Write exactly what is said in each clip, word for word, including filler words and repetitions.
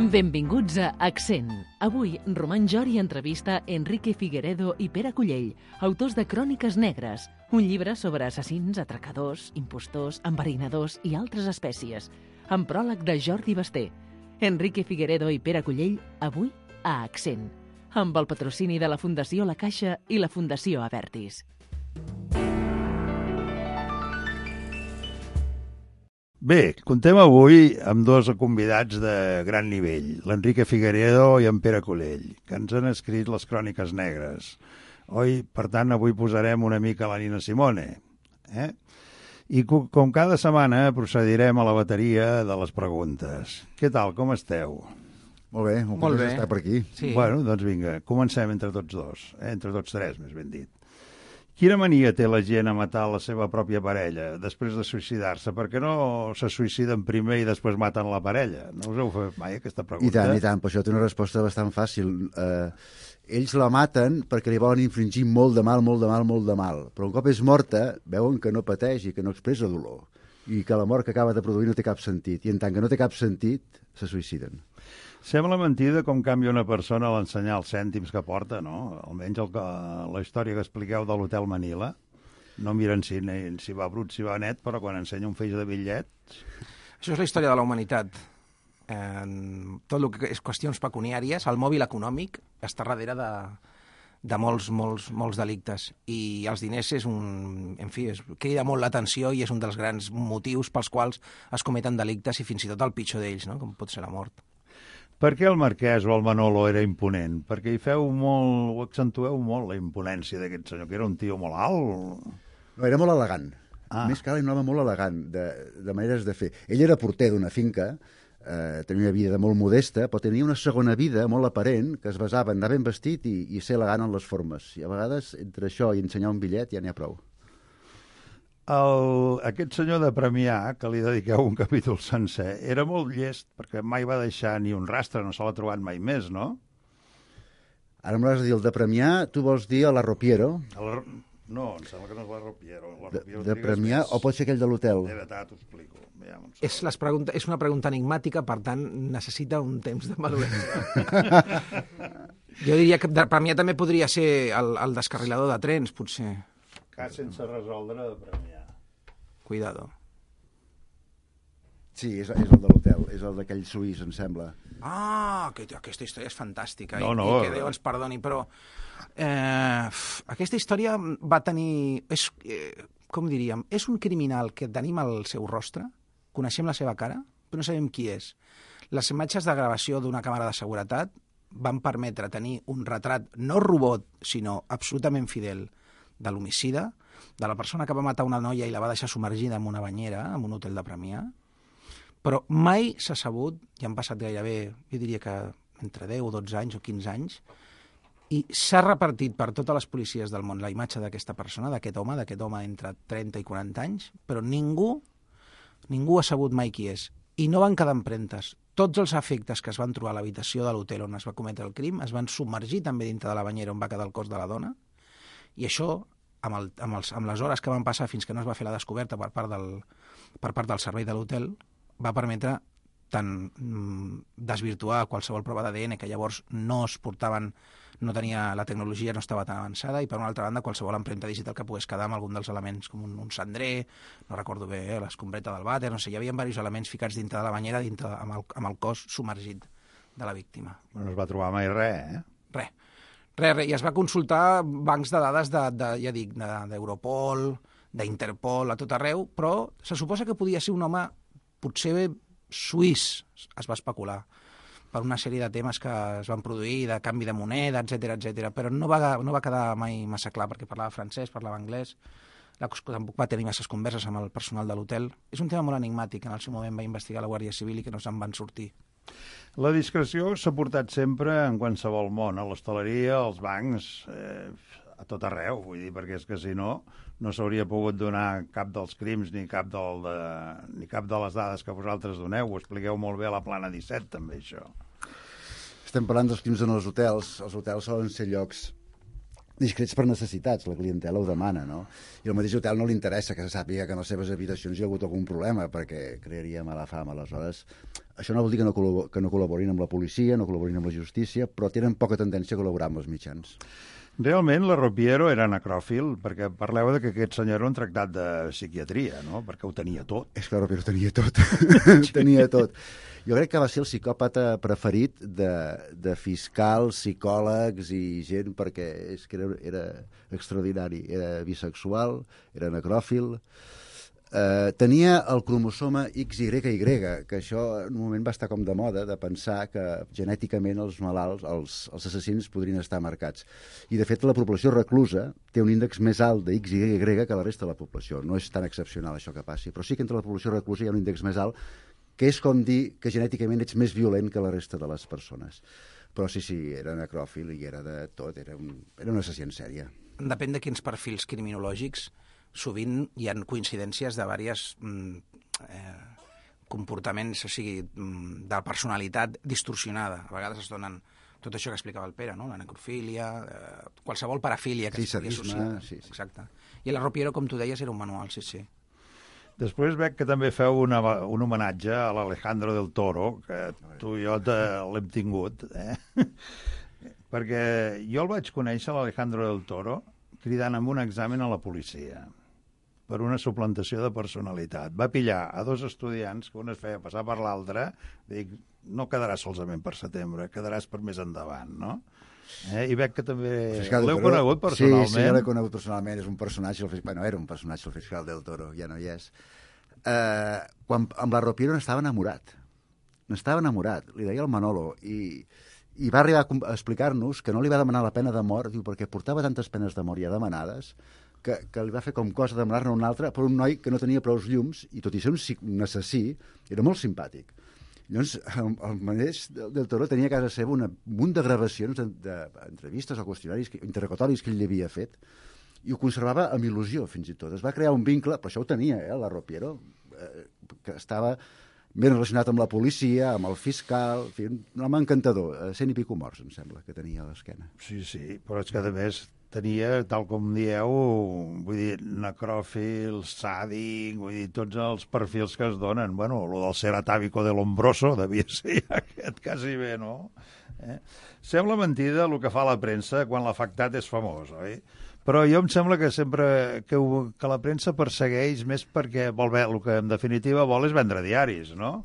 Benvinguts a Accent. Avui, Roman Jori entrevista Enrique Figueredo i Pere Cullell, autors de Cròniques negres, un llibre sobre assassins, atracadors, impostors, enverinadors i altres espècies, amb pròleg de Jordi Basté. Enrique Figueredo i Pere Cullell, avui a Accent, amb el patrocini de la Fundació La Caixa i la Fundació Avertis. Bé, contem avui amb dos convidats de gran nivell, l'Enrique Figueredo i en Pere Cullell, que ens han escrit les Cròniques negres. Oi, per tant, avui posarem una mica la Nina Simone. Eh? I com cada setmana procedirem a la bateria de les preguntes. Què tal, com esteu? Molt bé, un Molt bé. estar per aquí. Sí. Bueno, doncs vinga, comencem entre tots dos, eh? entre tots tres, més ben dit. Quina mania té la gent a matar la seva pròpia parella després de suïcidar-se? Per què no se suïciden primer i després maten la parella? No us heu fet mai aquesta pregunta? I tant, i tant, però això té una resposta bastant fàcil. Eh, ells la maten perquè li volen infringir molt de mal, molt de mal, molt de mal. Però un cop és morta, veuen que no pateix i que no expressa dolor. I que la mort que acaba de produir no té cap sentit. I en tant que no té cap sentit, se suïciden. Sembla mentida com canvia una persona a l'ensenyar els cèntims que porta, no? Almenys el que, la història que expliqueu de l'Hotel Manila. No miren si, si va brut, si va net, però quan ensenya un feix de bitllets... Això és la història de la humanitat. Eh, tot el que és qüestions pecuniàries, el mòbil econòmic està darrere de, de molts, molts, molts delictes. I els diners és un... En fi, és, crida molt l'atenció i és un dels grans motius pels quals es cometen delictes i fins i tot el pitjor d'ells, no? Com pot ser la mort. Per què el Marquès o el Manolo era imponent? Perquè hi feu molt, ho accentueu molt, la imponència d'aquest senyor, que era un tio molt alt. No, era molt elegant. Ah. Més que alt, un home molt elegant, de, de maneres de fer. Ell era porter d'una finca, eh, tenia una vida molt modesta, però tenia una segona vida molt aparent, que es basava en anar ben vestit i, i ser elegant en les formes. I a vegades, entre això i ensenyar un bitllet, ja n'hi ha prou. El, aquest senyor de Premià, que li dediqueu un capítol sencer, era molt llest, perquè mai va deixar ni un rastre, no se l'ha trobat mai més, no? Ara m'has de dir el de Premià, tu vols dir a la Ropiero? El, no, em sembla que no és la Ropiero. La De, Ropiero de Premià, o pot ser aquell de l'hotel? De veritat, t'ho explico. Ja, És, les pregunta, és una pregunta enigmàtica, per tant, necessita un temps de maduresa. Jo diria que de Premià també podria ser el, el descarrilador de trens, potser. Cas sense resoldre de Premià. Cuidado. Sí, és, és el de l'hotel, és el d'aquell suís, em sembla. Ah, que, aquesta història és fantàstica. No, i, no. I que Déu ens perdoni, però eh, aquesta història va tenir... És, eh, com diríem? És un criminal que tenim al seu rostre, coneixem la seva cara, però no sabem qui és. Les imatges de gravació d'una càmera de seguretat van permetre tenir un retrat no robot, sinó absolutament fidel de l'homicida, de la persona que va matar una noia i la va deixar submergida en una banyera, en un hotel de Premià, però mai s'ha sabut, i han passat gairebé, jo diria que entre deu o dotze anys o quinze anys, i s'ha repartit per totes les policies del món la imatge d'aquesta persona, d'aquest home, d'aquest home entre trenta i quaranta anys, però ningú, ningú ha sabut mai qui és. I no van quedar empremtes. Tots els efectes que es van trobar a l'habitació de l'hotel on es va cometre el crim es van submergir també dintre de la banyera on va quedar el cos de la dona, i això, amb, el, amb, els, amb les hores que van passar fins que no es va fer la descoberta per part del, per part del servei de l'hotel, va permetre tant mm, desvirtuar qualsevol prova d'A D N que llavors no es portaven, no tenia, la tecnologia no estava tan avançada, i per una altra banda qualsevol empremta digital que pogués quedar amb algun dels elements, com un, un cendrer, no recordo bé, eh, l'escombreta del vàter, no sé, hi havia diversos elements ficats dintre de la banyera, dintre, amb, el, amb el cos submergit de la víctima. No es va trobar mai res, eh? Res. Res, res, i es va consultar bancs de dades de, de, ja dic, d'Europol, d'Interpol, a tot arreu, però se suposa que podia ser un home potser suís, es va especular, per una sèrie de temes que es van produir, de canvi de moneda, etcètera, etcètera, però no va, no va quedar mai massa clar, perquè parlava francès, parlava anglès, la, tampoc va tenir masses converses amb el personal de l'hotel. És un tema molt enigmàtic, en el seu moment va investigar la Guàrdia Civil i que no se'n van sortir. La discreció s'ha portat sempre en qualsevol món, a l'hostaleria, als bancs, eh, a tot arreu, vull dir, perquè és que si no, no s'hauria pogut donar cap dels crims ni cap, del de, ni cap de les dades que vosaltres doneu. Ho expliqueu molt bé a la Plana disset, també, això. Estem parlant dels crims en els hotels. Els hotels solen ser llocs discrets per necessitats, la clientela ho demana, no? I al mateix hotel no li interessa que se sàpiga que en les seves habitacions hi ha hagut algun problema, perquè crearia mala fama. Aleshores, això no vol dir que no, col·labor que no col·laborin amb la policia, no col·laborin amb la justícia, però tenen poca tendència a col·laborar amb els mitjans. Realment, la Ropiero era necròfil, perquè parleu de que aquest senyor era un tractat de psiquiatria, no? Perquè ho tenia tot. És que la Ropiero tenia tot. Tenia tot. Jo crec que va ser el psicòpata preferit de, de fiscals, psicòlegs i gent, perquè és que era, era extraordinari. Era bisexual, era necròfil. Eh, tenia el cromosoma X Y Y, que això en un moment va estar com de moda, de pensar que genèticament els malalts, els, els assassins podrien estar marcats. I de fet la població reclusa té un índex més alt de X Y Y que la resta de la població. No és tan excepcional això que passi, però sí que entre la població reclusa hi ha un índex més alt, que és com dir que genèticament ets més violent que la resta de les persones. Però sí, sí, era necròfil i era de tot, era un, era un assassí en sèrie. Depèn de quins perfils criminològics. Sovint hi ha coincidències de diversos eh, comportaments, o sigui, de personalitat distorsionada. A vegades es donen tot això que explicava el Pere, no? La necrofília, eh, qualsevol parafília que sí, es pugui associar. Sí, sí. Exacte. I la Ropiero, com tu deies, era un manual, sí, sí. Després veig que també feu una, un homenatge a l'Alejandro del Toro, que tu i jo l'hem tingut, eh? Perquè jo el vaig conèixer, l'Alejandro del Toro, cridant amb un examen a la policia per una suplantació de personalitat. Va pillar a dos estudiants que un es feia passar per l'altre, dic, no quedaràs solament per setembre, quedaràs per més endavant, no? Eh? I veig que també l'heu conegut personalment. Sí, sí, jo l'he conegut personalment, és un personatge, el... bueno, era un personatge el fiscal del Toro, ja no hi és. Eh, quan amb la Ropiero n'estava enamorat, n'estava enamorat, li deia el Manolo, i, i va arribar a explicar-nos que no li va demanar la pena de mort, diu, perquè portava tantes penes de mort ja demanades, que, que li va fer com cosa demanar-ne una altra per un noi que no tenia prou llums, i tot i ser un, un assassí, era molt simpàtic. Llavors, el, el mateix del, del Toro tenia a casa seva una, un munt de gravacions d'entrevistes o qüestionaris, interrogatoris que ell li havia fet, i ho conservava amb il·lusió, fins i tot. Es va crear un vincle, però això ho tenia, eh, la Ropiero, eh, que estava ben relacionat amb la policia, amb el fiscal, en fi, un home encantador, eh, cent i pico morts, em sembla, que tenia a l'esquena. Sí, sí, però és que a més tenia, tal com dieu, vull dir, necròfil, sàdic, vull dir, tots els perfils que es donen. Bueno, lo del ser atàvico de Lombroso devia ser aquest quasi bé, no? Eh? Sembla mentida el que fa la premsa quan l'afectat és famós, oi? Però jo em sembla que sempre que, ho, que la premsa persegueix més perquè vol bé, el que en definitiva vol és vendre diaris, no?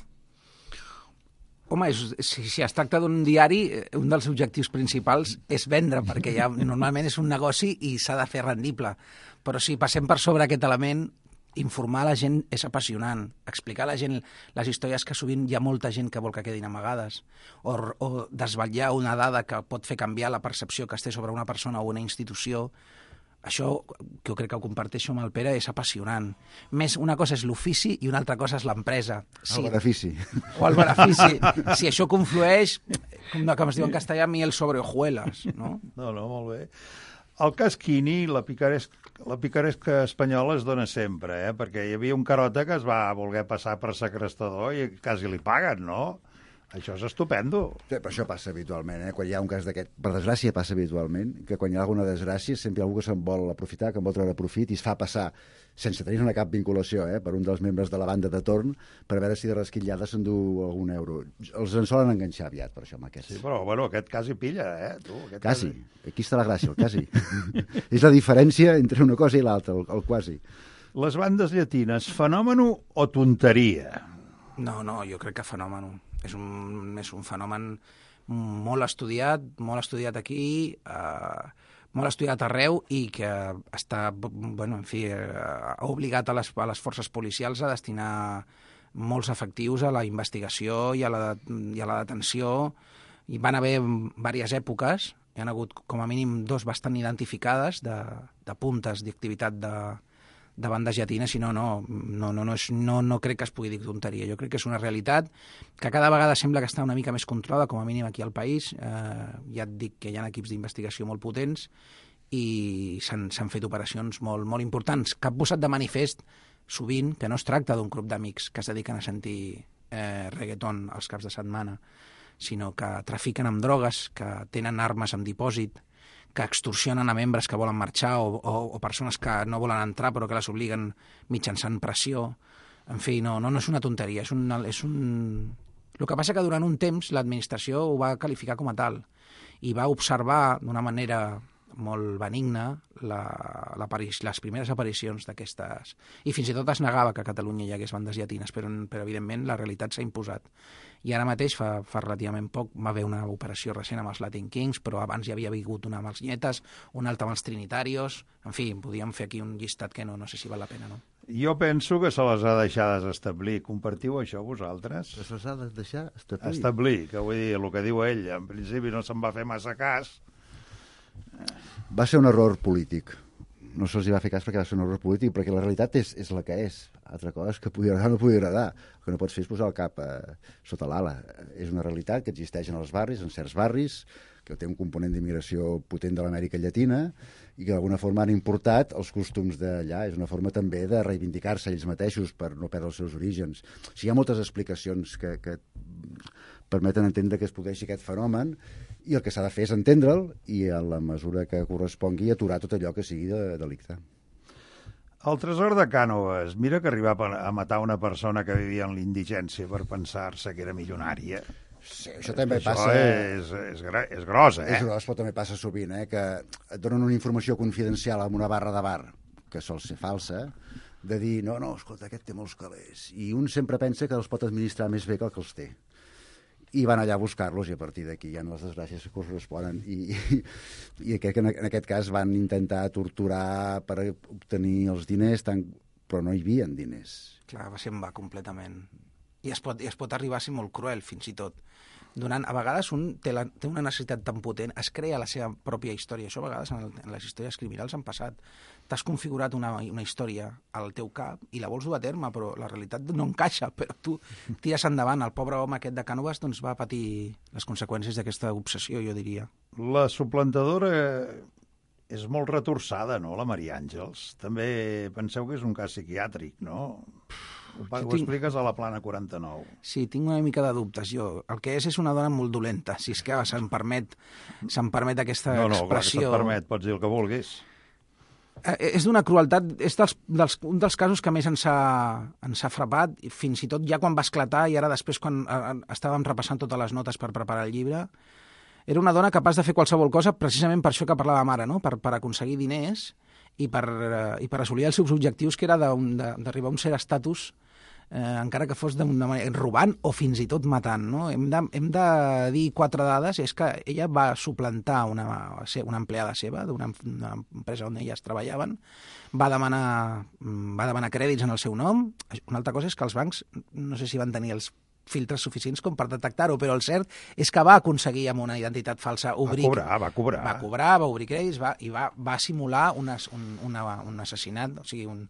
Home, és, si, si es tracta d'un diari, un dels objectius principals és vendre, perquè ja normalment és un negoci i s'ha de fer rendible. Però si passem per sobre aquest element, informar la gent és apassionant. Explicar a la gent les històries que sovint hi ha molta gent que vol que quedin amagades, o, o desvetllar una dada que pot fer canviar la percepció que es té sobre una persona o una institució. Això, que jo crec que ho comparteixo amb el Pere, és apassionant. Més, una cosa és l'ofici i una altra cosa és l'empresa. Sí. El benefici. O el benefici. Si això conflueix, com, com es diu en castellà, miel sobre hojuelas, no? No, no, molt bé. El cas Quini, la picaresca, la picaresca espanyola es dona sempre, eh? Perquè hi havia un carota que es va voler passar per segrestador i quasi li paguen, no? Això és estupendo. Sí, però això passa habitualment, eh? Quan hi ha un cas d'aquest, per desgràcia passa habitualment, que quan hi ha alguna desgràcia sempre hi ha algú que se'n vol aprofitar, que en vol treure profit i es fa passar, sense tenir-ne cap vinculació, eh? Per un dels membres de la banda de torn, per veure si de resquitllada s'endú algun euro. Els en solen enganxar aviat, per això, amb aquests. Sí, però bueno, aquest quasi pilla, eh? Tu, aquest quasi. Quasi. Aquí està la gràcia, el quasi. És la diferència entre una cosa i l'altra, el, el quasi. Les bandes llatines, fenòmeno o tonteria? No, no, jo crec que fenòmeno. És un, és un fenomen molt estudiat, molt estudiat aquí, eh, molt estudiat arreu i que està, bueno, en fi, eh, ha obligat a les, a les forces policials a destinar molts efectius a la investigació i a la, i a la detenció. I van haver diverses èpoques, hi ha hagut com a mínim dos bastant identificades de, de puntes d'activitat de, de bandes llatines, i no, no, no, no, no, és, no, no crec que es pugui dir tonteria. Jo crec que és una realitat que cada vegada sembla que està una mica més controlada, com a mínim aquí al país. Eh, ja et dic que hi ha equips d'investigació molt potents i s'han fet operacions molt, molt importants, que han posat de manifest sovint que no es tracta d'un grup d'amics que es dediquen a sentir eh, reggaeton els caps de setmana, sinó que trafiquen amb drogues, que tenen armes en dipòsit, que extorsionen a membres que volen marxar o, o, o persones que no volen entrar però que les obliguen mitjançant pressió. En fi, no, no, no és una tonteria, és un, és un... El que passa que durant un temps l'administració ho va qualificar com a tal i va observar d'una manera molt benigna la, la, les primeres aparicions d'aquestes... I fins i tot es negava que a Catalunya hi hagués bandes llatines, però, però evidentment la realitat s'ha imposat. I ara mateix, fa, fa relativament poc, va haver una operació recent amb els Latin Kings, però abans hi havia hagut una amb els Nietes, una altra amb els Trinitarios... En fi, podíem fer aquí un llistat que no, no sé si val la pena, no? Jo penso que se les ha deixat establir. Compartiu això vosaltres? Se les ha de deixar establir? Establir, que vull dir, el que diu ell. En principi no se'n va fer massa cas. Va ser un error polític. No se'ls va fer cas perquè va ser un error polític, perquè la realitat és, és la que és. Altra cosa és que pugui agradar o no pugui agradar. El que no pots fer és posar el cap eh, sota l'ala. És una realitat que existeix en els barris, en certs barris, que té un component d'immigració potent de l'Amèrica Llatina i que d'alguna forma han importat els costums d'allà. És una forma també de reivindicar-se ells mateixos per no perdre els seus orígens. O sigui, hi ha moltes explicacions que, que permeten entendre que es produeixi aquest fenomen i el que s'ha de fer és entendre'l i a la mesura que correspongui aturar tot allò que sigui de delicte. El tresor de Cànoves, mira que arribar a matar una persona que vivia en l'indigència per pensar-se que era milionària. Sí, això també això passa... és, és, és gros, eh? És gros, però també passa sovint, eh? Que et donen una informació confidencial en una barra de bar, que sol ser falsa, de dir, no, no, escolta, aquest té molts calés. I un sempre pensa que els pot administrar més bé que el que els té. I van allà a buscar-los i a partir d'aquí hi ha les desgràcies que corresponen. I, i, i aquest, en aquest cas van intentar torturar per obtenir els diners, tant, però no hi havia diners. Clar, se'n va completament. I es pot, i es pot arribar a ser molt cruel, fins i tot. Donant, a vegades un té, la, té una necessitat tan potent, es crea la seva pròpia història. Això a vegades en, el, en les històries criminals han passat. T'has configurat una, una història al teu cap i la vols dur a terme, però la realitat no encaixa, però tu tires endavant. El pobre home aquest de Cànoves doncs, va patir les conseqüències d'aquesta obsessió, jo diria. La suplantadora és molt retorçada, no?, la Maria Àngels. També penseu que és un cas psiquiàtric, no? Ho, ho tinc... expliques a la plana quaranta-nou. Sí, tinc una mica de dubtes, jo. El que és és una dona molt dolenta, si és que se'm permet, se'm permet aquesta no, no, expressió. No, no, clar que se't permet, pots dir el que vulguis. Eh, és d'una crueltat, és dels, dels, un dels casos que més ens ha, ens ha frapat, fins i tot ja quan va esclatar i ara després quan eh, estàvem repassant totes les notes per preparar el llibre, era una dona capaç de fer qualsevol cosa precisament per això que parlàvem ara, no? per, per aconseguir diners i per, eh, i per assolir els seus objectius, que era d'arribar a un cert estatus, eh, encara que fos d'una manera robant o fins i tot matant. No? Hem, de, hem de dir quatre dades, és que ella va suplantar una, una empleada seva d'una empresa on elles treballaven, va demanar, va demanar crèdits en el seu nom. Una altra cosa és que els bancs, no sé si van tenir els filtres suficients com per detectar-ho, però el cert és que va aconseguir amb una identitat falsa obrir... Va cobrar, va cobrar. Va cobrar, va obrir crèdits va, i va, va simular una, un, una, un assassinat, o sigui, un,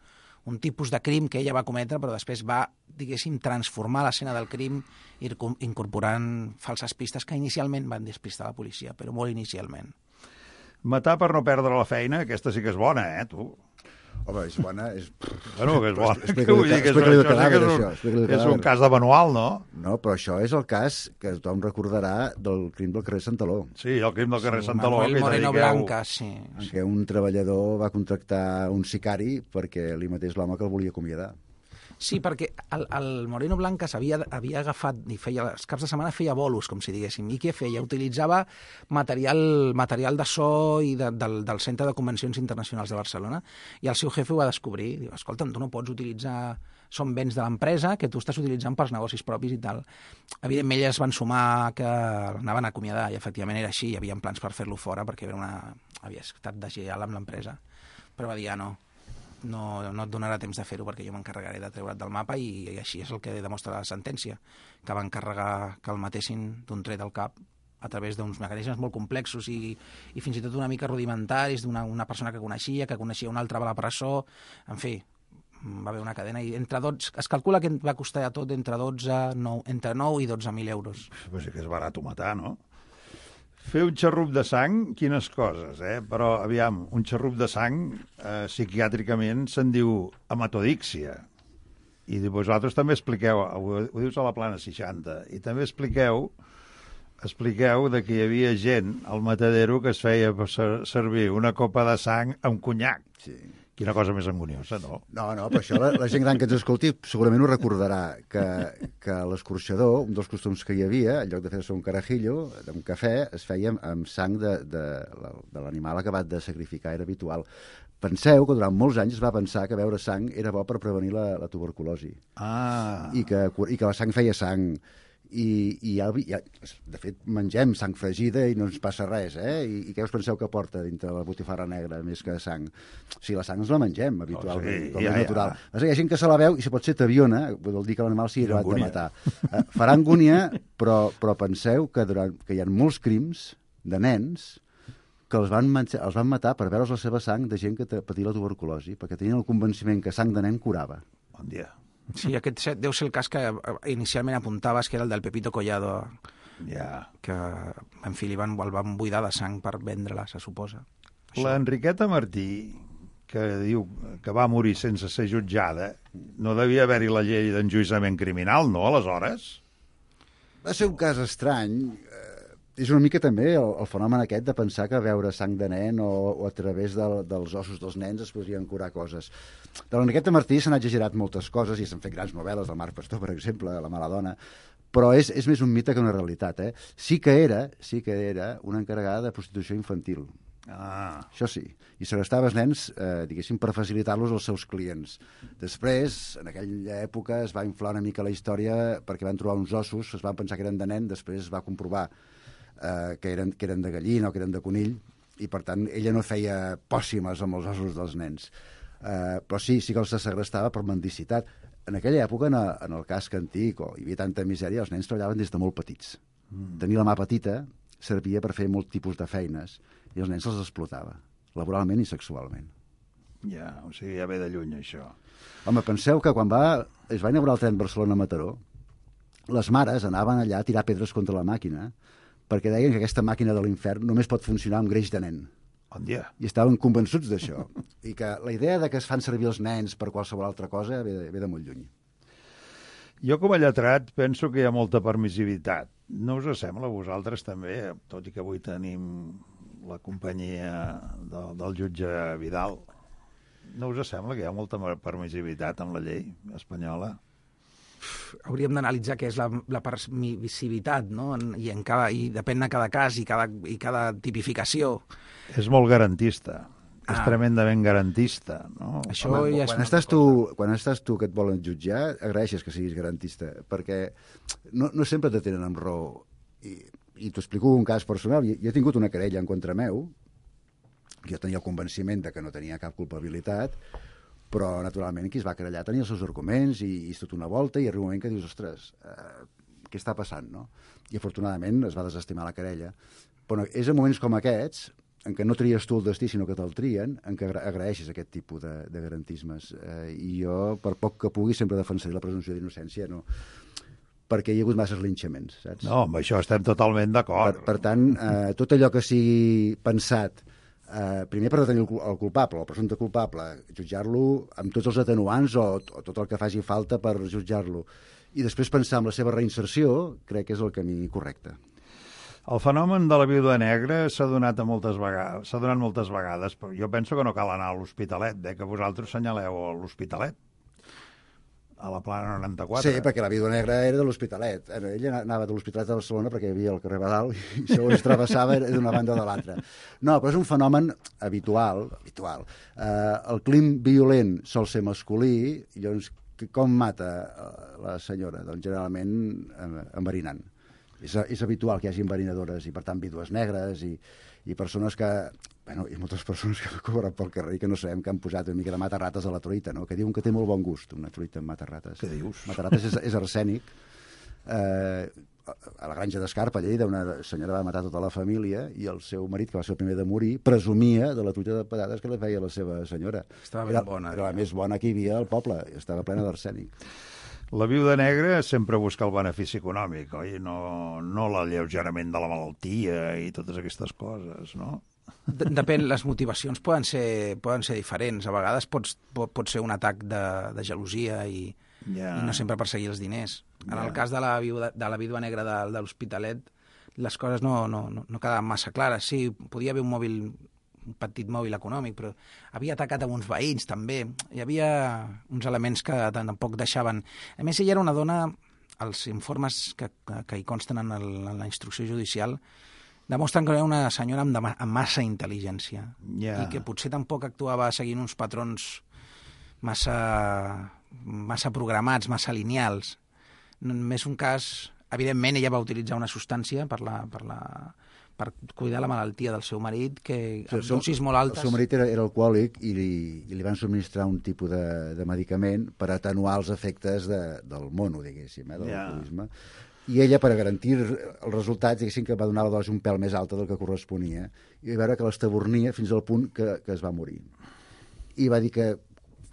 un tipus de crim que ella va cometre, però després va, diguéssim, transformar l'escena del crim incorporant falses pistes que inicialment van despistar la policia, però molt inicialment. Matar per no perdre la feina, aquesta sí que és bona, eh, tu? Home, és bona... És... Bueno, que és bona. Explica-li el cadàver, això. És un cas de manual, no? No, però això és el cas que tothom recordarà del crim del carrer Santaló. Sí, el crim del carrer sí, Santaló. Manuel Moreno Blanca, sí. En què un treballador va contractar un sicari perquè li matés l'home que el volia acomiadar. Sí, perquè el, el Moreno Blanca havia, havia agafat, i feia, els caps de setmana feia bolos, com si diguéssim, i què feia? Utilitzava material, material de so i de, del, del Centre de Convencions Internacionals de Barcelona, i el seu jefe ho va descobrir. Diu, escolta'm, tu no pots utilitzar... Són béns de l'empresa que tu estàs utilitzant pels negocis propis i tal. Evidentment, elles van sumar que l'anaven a acomiadar, i efectivament era així, hi havia plans per fer-lo fora, perquè era una... havia estat deslleial amb l'empresa. Però va dir, ah, no, No, no et donarà temps de fer-ho perquè jo m'encarregaré de treure't del mapa i, i així és el que demostra la sentència, que va encarregar que el matessin d'un tret al cap a través d'uns mecanismes molt complexos i, i fins i tot una mica rudimentaris d'una una persona que coneixia, que coneixia una altra a la presó, en fi, va haver una cadena i entre dotze, es calcula que va costar a tot entre dotze, nou, entre nou i dotze mil euros. Pues sí que és barat matar, no? Fer un xarrup de sang, quines coses, eh? Però, aviam, un xarrup de sang, eh, psiquiàtricament se'n diu hematodíxia. I vosaltres també expliqueu, ho, ho dius a la plana seixanta, i també expliqueu expliqueu de que hi havia gent al matadero que es feia servir una copa de sang amb conyac. Sí. Quina cosa més angoniosa, no? No, no, però això la, la gent gran que ens escolti segurament ho recordarà, que, que l'escorxador, un dels costums que hi havia, en lloc de fer-se un carajillo, un cafè, es feia amb sang de, de, de l'animal acabat de sacrificar, era habitual. Penseu que durant molts anys es va pensar que beure sang era bo per prevenir la, la tuberculosi. Ah. I que, i que la sang feia sang. I, i ja, ja, de fet, mengem sang fregida i no ens passa res, eh? I, i què us penseu que porta dintre la botifarra negra més que sang? O sigui, la sang ens la mengem habitualment, oh, sí, com ja, és natural. Ja. Hi ha gent que se la veu i si pot ser taviona, vol dir que l'animal sigui acabat de matar. Uh, farà angúnia, però, però penseu que, durant, que hi ha molts crims de nens que els van, els van matar per veure's la seva sang de gent que patia la tuberculosi, perquè tenien el convenciment que sang de nen curava. Bon dia. Sí, aquest deu ser el cas que inicialment apuntaves, que era el del Pepito Collado, ja. que, en fi, li van, el van buidar de sang per vendre-la, se suposa. L'Enriqueta Martí, que diu que va morir sense ser jutjada, no devia haver-hi la llei d'enjuïçament criminal, no, aleshores? Va ser un cas estrany. És una mica també el, el fenomen aquest de pensar que veure sang de nen o, o a través de, dels ossos dels nens es podrien curar coses. De l'Enriqueta Martí s'han exagerat moltes coses i s'han fet grans novel·les del Marc Pastor, per exemple, La mala dona, però és, és més un mite que una realitat. Eh? Sí que era sí que era una encarregada de prostitució infantil. Ah. Això sí. I segrestava els nens, eh, diguéssim, per facilitar-los als seus clients. Després, en aquella època, es va inflar una mica la història perquè van trobar uns ossos, es van pensar que eren de nen, després es va comprovar Uh, que, eren, que eren de gallina o que eren de conill, i per tant ella no feia pòssimes amb els ossos dels nens. Uh, però sí, sí que els segrestava per mendicitat. En aquella època, en, a, en el casc antic, o hi havia tanta misèria, els nens treballaven des de molt petits. Mm. Tenir la mà petita servia per fer molt tipus de feines, i els nens els explotava, laboralment i sexualment. Ja, o sigui, ja ve de lluny, això. Home, penseu que quan va, es va inaugurar el tren Barcelona-Mataró, les mares anaven allà a tirar pedres contra la màquina, perquè deien que aquesta màquina de l'infern només pot funcionar amb greix de nen. Bon dia. I estaven convençuts d'això. I que la idea de que es fan servir els nens per qualsevol altra cosa ve de, ve de molt lluny. Jo, com a lletrat, penso que hi ha molta permissivitat. No us sembla a vosaltres també, tot i que avui tenim la companyia de, del jutge Vidal, no us sembla que hi ha molta permissivitat amb la llei espanyola? Hauríem d'analitzar què és la, la permissivitat, no? I, en cada, i depèn de cada cas i cada, i cada tipificació. És molt garantista. Ah. És tremendament garantista, no? Això Home, ja quan, és estàs tu, quan estàs tu que et volen jutjar, agraeixes que siguis garantista, perquè no, no sempre te tenen amb raó. I, i t'ho explico un cas personal. Jo, jo he tingut una querella en contra meu, jo tenia el convenciment de que no tenia cap culpabilitat, però, naturalment, qui es va querellar tenia els seus arguments i, i és tot una volta i arriba un moment que dius, ostres, eh, què està passant, no? I, afortunadament, es va desestimar la querella. Però és en moments com aquests, en què no tries tu el destí, sinó que te'l trien, en què agraeixes aquest tipus de, de garantismes. Eh, I jo, per poc que pugui, sempre defensaré la presumpció d'innocència, no? Perquè hi ha hagut masses linxaments, saps? No, amb això estem totalment d'acord. Per, per tant, eh, tot allò que sigui pensat Uh, primer per detenir el, el culpable, el presumpte culpable, jutjar-lo amb tots els atenuants o, o tot el que faci falta per jutjar-lo. I després pensar en la seva reinserció, crec que és el camí correcte. El fenomen de la viuda negra s'ha donat a moltes vegades, s'ha donat moltes vegades, però jo penso que no cal anar a l'Hospitalet, eh, que vosaltres senyaleu a l'Hospitalet, a la Plana noranta-quatre. Sí, perquè la viuda negra era de l'Hospitalet. Ella anava de l'Hospitalet a Barcelona perquè hi havia el carrer Badal i segons travessava era d'una banda o de l'altra. No, però és un fenomen habitual. habitual. Uh, el crim violent sol ser masculí, i llavors com mata la senyora? Doncs generalment enverinant. És, és habitual que hi hagi enverinadores i, per tant, vídues negres i, i persones que... Bueno, hi ha moltes persones que corren pel carrer i que no sabem que han posat una mica de matarrates a la truita, no? Que diuen que té molt bon gust, una truita amb matarrates. Què dius? Matarrates és, és arsènic. Eh, a la granja d'Escarpa, a Lleida, una senyora va matar tota la família i el seu marit, que va ser el primer de morir, presumia de la truita de patates que li feia la seva senyora. Estava ben era, bona. Era la més bona que hi havia al poble, estava plena d'arsènic. La viuda negra sempre busca el benefici econòmic, oi? No, no l'alleugerament de la malaltia i totes aquestes coses, no? Depèn, les motivacions poden ser, poden ser diferents. A vegades pots, pot, pot ser un atac de, de gelosia i, yeah. i no sempre perseguir els diners. En yeah. el cas de la, viuda, de la vídua negra de, de l'Hospitalet, les coses no, no, no, no quedaven massa clares. Sí, podia haver un mòbil, un petit mòbil econòmic, però havia atacat amb uns veïns també. Hi havia uns elements que tampoc deixaven... A més, ella era una dona, els informes que, que, que hi consten en, el, en la instrucció judicial demostren que era una senyora amb, de, amb massa intel·ligència Yeah. i que potser tampoc actuava seguint uns patrons massa, massa programats, massa lineals. Només un cas... Evidentment, ella va utilitzar una substància per, la, per, la, per cuidar la malaltia del seu marit, que amb seu- dosis molt altes... El seu marit era, era alcohòlic i li, i li van subministrar un tipus de, de medicament per atenuar els efectes de, del mono, diguéssim, eh, de Ja. l'alcoholisme. I ella, per garantir els resultats, diguéssim que va donar la dosi un pèl més alta del que corresponia i va veure que l'estabornia fins al punt que, que es va morir. I va dir que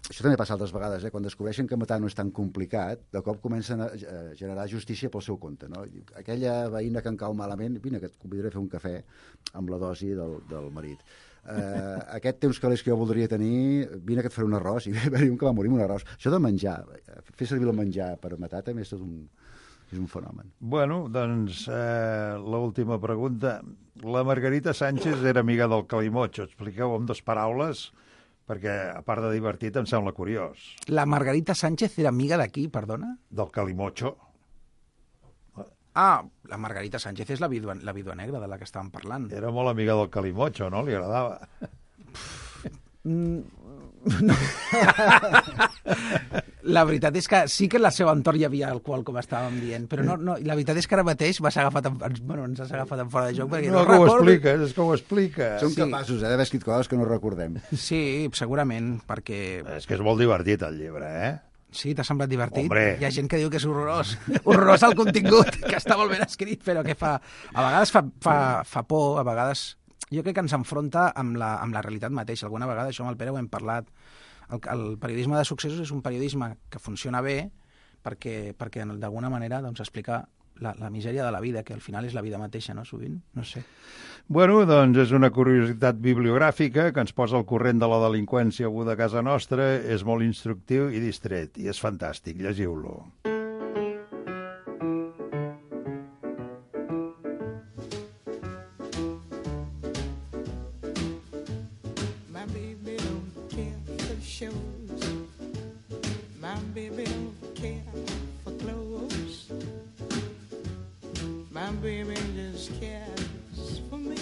això també passa altres vegades, eh? Quan descobreixen que matar no és tan complicat, de cop comencen a generar justícia pel seu compte. No? Aquella veïna que em cau malament, vine, que et convidaré a fer un cafè amb la dosi del, del marit. Uh, aquest té uns calés que jo voldria tenir, vine que et faré un arròs, i va haver-hi un que va morir amb un arròs. Això de menjar, fer servir el menjar per matar també és tot un, és un fenomen. Bueno, doncs, eh, l'última pregunta. La Margarita Sánchez era amiga del Calimocho. Expliqueu amb dues paraules, perquè, a part de divertit, em sembla curiós. La Margarita Sánchez era amiga d'aquí, perdona? Del Calimocho. Ah, la Margarita Sánchez és la vídua, la vídua negra de la que estàvem parlant. Era molt amiga del Calimocho, no? Li agradava. La veritat és que sí que en la seva entorn hi havia alcohol, com estàvem dient, però no, no, la veritat és que ara mateix m'has agafat en, bueno, ens has agafat en fora de joc, perquè No, no, que ho recordo... expliques, és que ho explica. Som Sí. capaços eh, d'haver escrit coses que no recordem. Sí, segurament, perquè... És que és molt divertit, el llibre, eh? Sí, t'ha semblat divertit? Hombre. Hi ha gent que diu que és horrorós. Horrorós el contingut, que està molt ben escrit, però que fa... A vegades fa, fa, fa por, a vegades... Jo crec que ens enfronta amb la, amb la realitat mateixa. Alguna vegada, això amb el Pere ho hem parlat, el, el periodisme de successos és un periodisme que funciona bé perquè, perquè d'alguna manera doncs, explica la, la misèria de la vida, que al final és la vida mateixa, no? Sovint, no sé. Bueno, doncs és una curiositat bibliogràfica que ens posa al corrent de la delinqüència aguda a casa nostra, és molt instructiu i distret, i és fantàstic, llegiu-lo. My baby don't care for shows. My baby don't care for clothes. My baby just cares for me.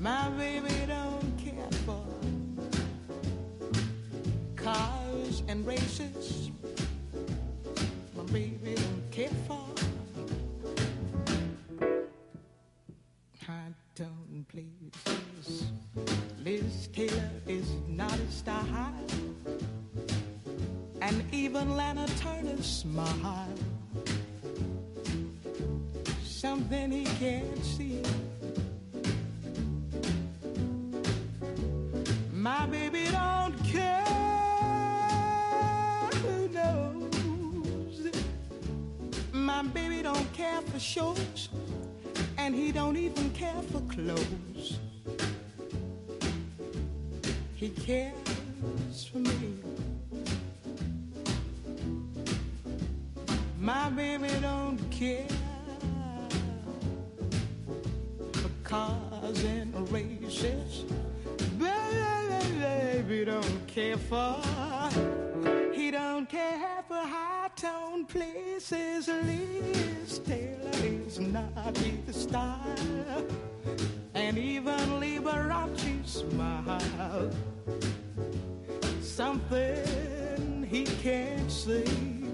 My baby don't care for cars and races. My baby don't care for high tone places. Liz Taylor is not a style, and even Lana Turner's smile, something he can't see. My baby don't care, who knows? My baby don't care for shows, and he don't even care for clothes. He cares for me. My baby don't care for cars and races. Baby don't care for, he don't care for high-tone places. Liz Taylor is not his style, and even Liberace smile. Something he can't see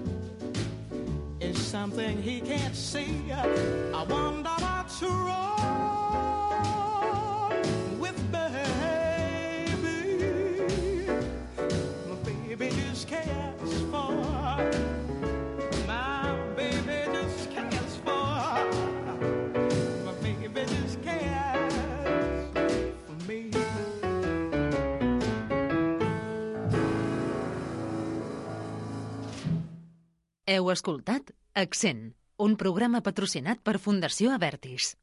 is something he can't see. I wonder what's wrong with baby. My baby just cares for, my baby just cares for, my baby just cares for me. Heu escoltat Accent, un programa patrocinat per Fundació Avertis.